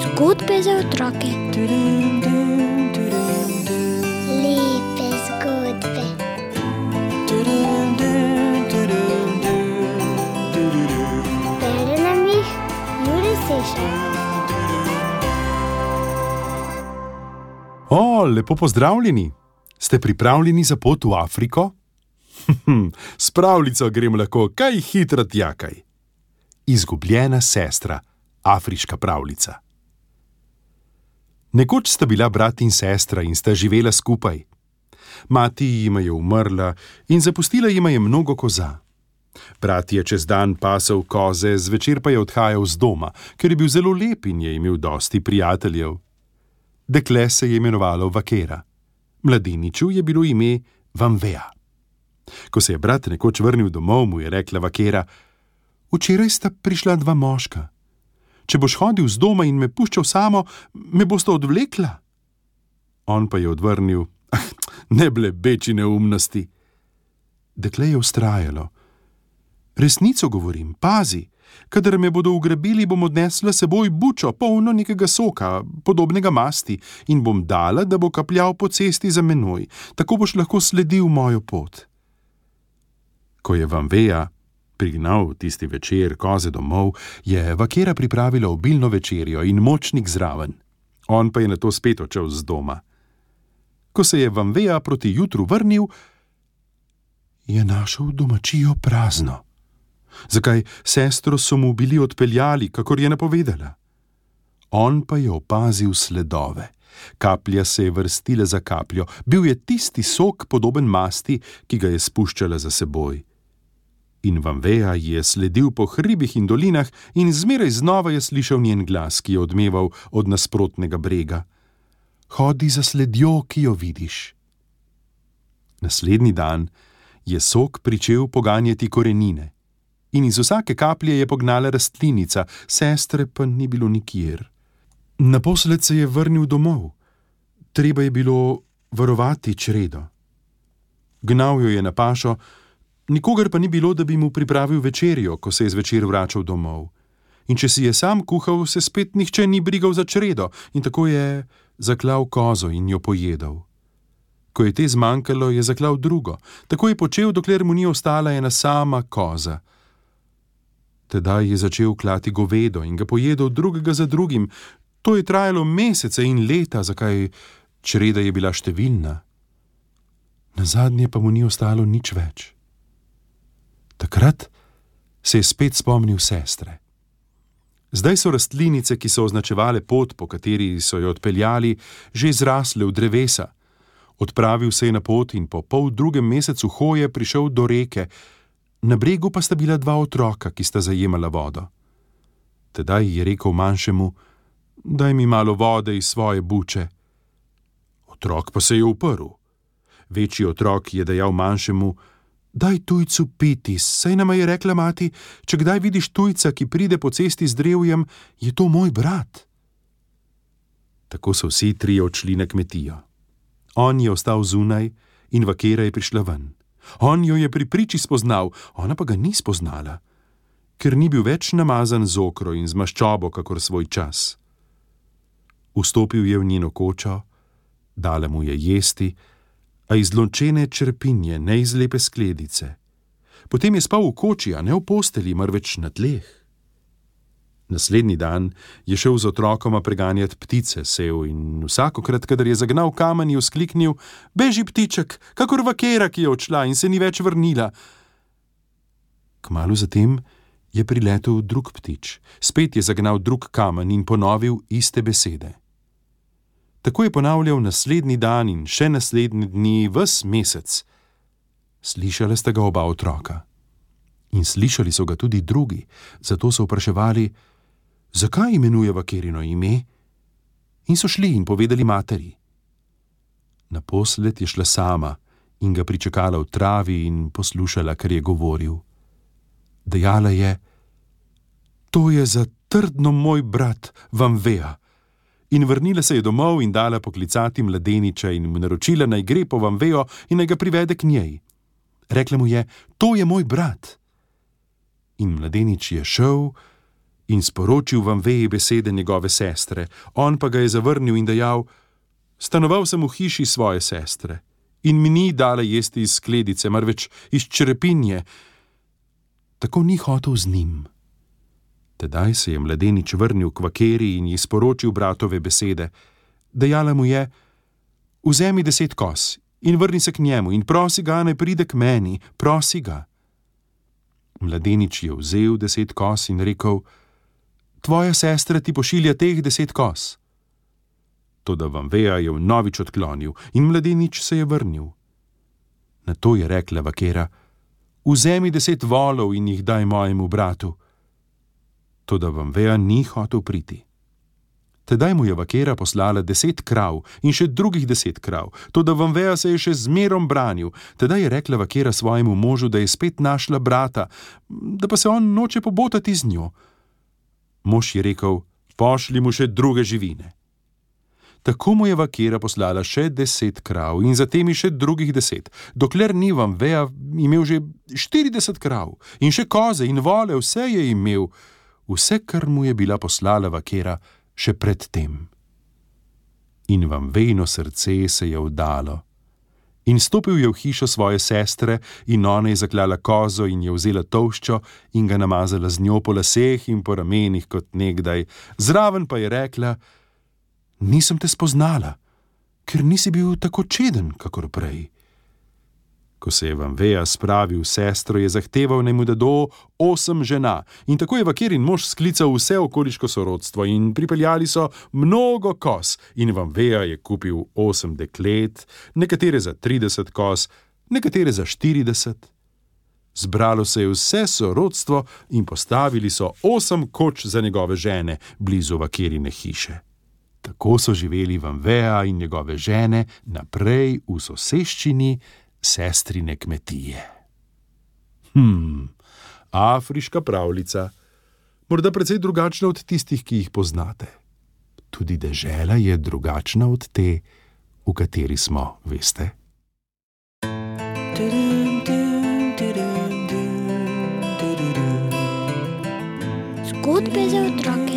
Zgodbe za otroke. Lepe zgodbe. Bere nam jih Jure Sešar. Lepo pozdravljeni. Ste pripravljeni za pot v Afriko? S pravljico grem lahko kaj hitro tjakaj. Izgubljena sestra, afriška pravljica. Nekoč sta bila brat in sestra in sta živela skupaj. Mati jima je umrla in zapustila jima je mnogo koza. Brat je čez dan pasel koze, zvečer pa je odhajal z doma, ker je bil zelo lep in je imel dosti prijateljev. Dekle se je imenovalo Vakera. Mladeniču je bilo ime Vanveja. Ko se je brat nekoč vrnil domov, mu je rekla Vakera: "Včeraj sta prišla dva moška. Če boš hodil z doma in me puščal samo, me bosta odvlekla." On pa je odvrnil: "Ne blebeči neumnosti." Dekle je vztrajalo: "Resnico govorim, pazi. Kadar me bodo ugrabili, bom odnesla seboj bučo, polno nekega soka, podobnega masti, in bom dala, da bo kapljal po cesti za menoj. Tako boš lahko sledil mojo pot." Ko je Vanveja prignal tisti večer koze domov, je Vakera pripravila obilno večerjo in močnik zraven. On pa je nato spet odšel z doma. Ko se je Vanveja proti jutru vrnil, je našel domačijo prazno. Zakaj, sestro so mu bili odpeljali, kakor je napovedala. On pa je opazil sledove. Kaplja se je vrstila za kapljo, bil je tisti sok podoben masti, ki ga je spuščala za seboj. In Vanveja je sledil po hribih in dolinah in zmeraj znova je slišal njen glas, ki je odmeval od nasprotnega brega: "Hodi za sledjo, ki jo vidiš." Naslednji dan je sok pričel poganjati korenine in iz vsake kaplje je pognala rastlinica, sestre pa ni bilo nikjer. Naposled se je vrnil domov. Treba je bilo varovati čredo. Gnal jo je na pašo, nikogar pa ni bilo, da bi mu pripravil večerjo, ko se je zvečer vračal domov. In če si je sam kuhal, se spet nihče ni brigal za čredo in tako je zaklal kozo in jo pojedel. Ko je te zmanjkalo, je zaklal drugo. Tako je počel, dokler mu ni ostala ena sama koza. Tedaj je začel klati govedo in ga pojedel drugega za drugim. To je trajalo mesece in leta, zakaj čreda je bila številna. Nazadnje pa mu ni ostalo nič več. Takrat se je spet spomnil sestre. Zdaj so rastlinice, ki so označevale pot, po kateri so jo odpeljali, že zrasle v drevesa. Odpravil se je na pot in po poldrugem mesecu hoje prišel do reke. Na bregu pa sta bila dva otroka, ki sta zajemala vodo. Tedaj je rekel manjšemu: "Daj mi malo vode iz svoje buče." Otrok pa se je uprl. Večji otrok je dejal manjšemu: "Daj tujcu piti, saj nama je rekla mati, če kdaj vidiš tujca, ki pride po cesti z drevjem, je to moj brat." Tako so vsi trije odšli na kmetijo. On je ostal zunaj in Vakera je prišla ven. On jo je pri priči spoznal, ona pa ga ni spoznala, ker ni bil več namazan z okro in z maščobo, kakor svoj čas. Vstopil je v njeno kočo, dala mu je jesti, a iz lončene črepinje, ne iz lepe skledice. Potem je spal v koči, a ne v posteli, marveč na tleh. Naslednji dan je šel z otrokoma preganjati ptice, sev in vsakokrat, kadar je zagnal kamen, je vzkliknil: "Beži, ptiček, kakor Vakera, ki je odšla in se ni več vrnila." Kmalu zatem je priletel drug ptič, spet je zagnal drug kamen in ponovil iste besede. Tako je ponavljal naslednji dan in še naslednji dni, ves mesec. Slišala sta ga oba otroka. In slišali so ga tudi drugi, zato so vpraševali: "Zakaj imenuje Vakerino ime?" In so šli in povedali materi. Naposled je šla sama in ga pričakala v travi in poslušala, kar je govoril. Dejala je: "To je zatrdno moj brat Vanveja." In vrnila se je domov in dala poklicati mladeniča in mu naročila, naj gre po Vanvejo in naj ga privede k njej. Rekla mu je: "To je moj brat." In mladenič je šel in sporočil Van Veji besede njegove sestre, on pa ga je zavrnil in dejal: stanoval sem v hiši svoje sestre in mi ni dala jesti iz skledice, marveč iz črepinje. Tako ni hotel z njim. Tedaj se je mladenič vrnil k vakeri in ji sporočil bratove besede. Dejala mu je: vzemi 10 koz in vrni se k njemu in prosi ga, naj pride k meni, prosi ga. Mladenič je vzel 10 koz in rekel: tvoja sestra ti pošilja teh 10 koz. Toda Van Veja je vnovič odklonil in mladenič se je vrnil. Nato je rekla vakera: vzemi 10 volov in jih daj mojemu bratu. Toda Van Veja ni hotel priti. Tedaj mu je vakera poslala 10 krav in še drugih 10 krav, toda Van Veja se je še zmerom branil. Tedaj je rekla vakera svojemu možu, da je spet našla brata, da pa se on noče pobotati z njo. Mož je rekel: pošlji mu še druge živine. Tako mu je vakera poslala še 10 krav in za temi še drugih 10, dokler ni Van Veja imel že 40 krav in še koze in vole, vse je imel, vse, kar mu je bila poslala vakera še pred tem. In Van Vejino srce se je vdalo. In stopil je v hišo svoje sestre in ona je zaklala kozo in je vzela tolščo in ga namazala z njo po laseh in po ramenih kot nekdaj. Zraven pa je rekla: nisem te spoznala, ker nisi bil tako čeden, kakor prej. Ko se je Van Veja spravil sestro, je zahteval, naj mu da do 8 žena. In tako je vakerin mož sklical vse okoliško sorodstvo in pripeljali so mnogo koz. In Van Veja je kupil 8 deklet, nekatere za 30 koz, nekatere za 40. Zbralo se je vse sorodstvo in postavili so 8 koč za njegove žene blizu vakerine hiše. Tako so živeli Van Veja in njegove žene naprej v soseščini sestrine kmetije. Afriška pravljica, morda precej drugačna od tistih, ki jih poznate. Tudi dežela je drugačna od te, v kateri smo, veste. Zgodbe za otroke.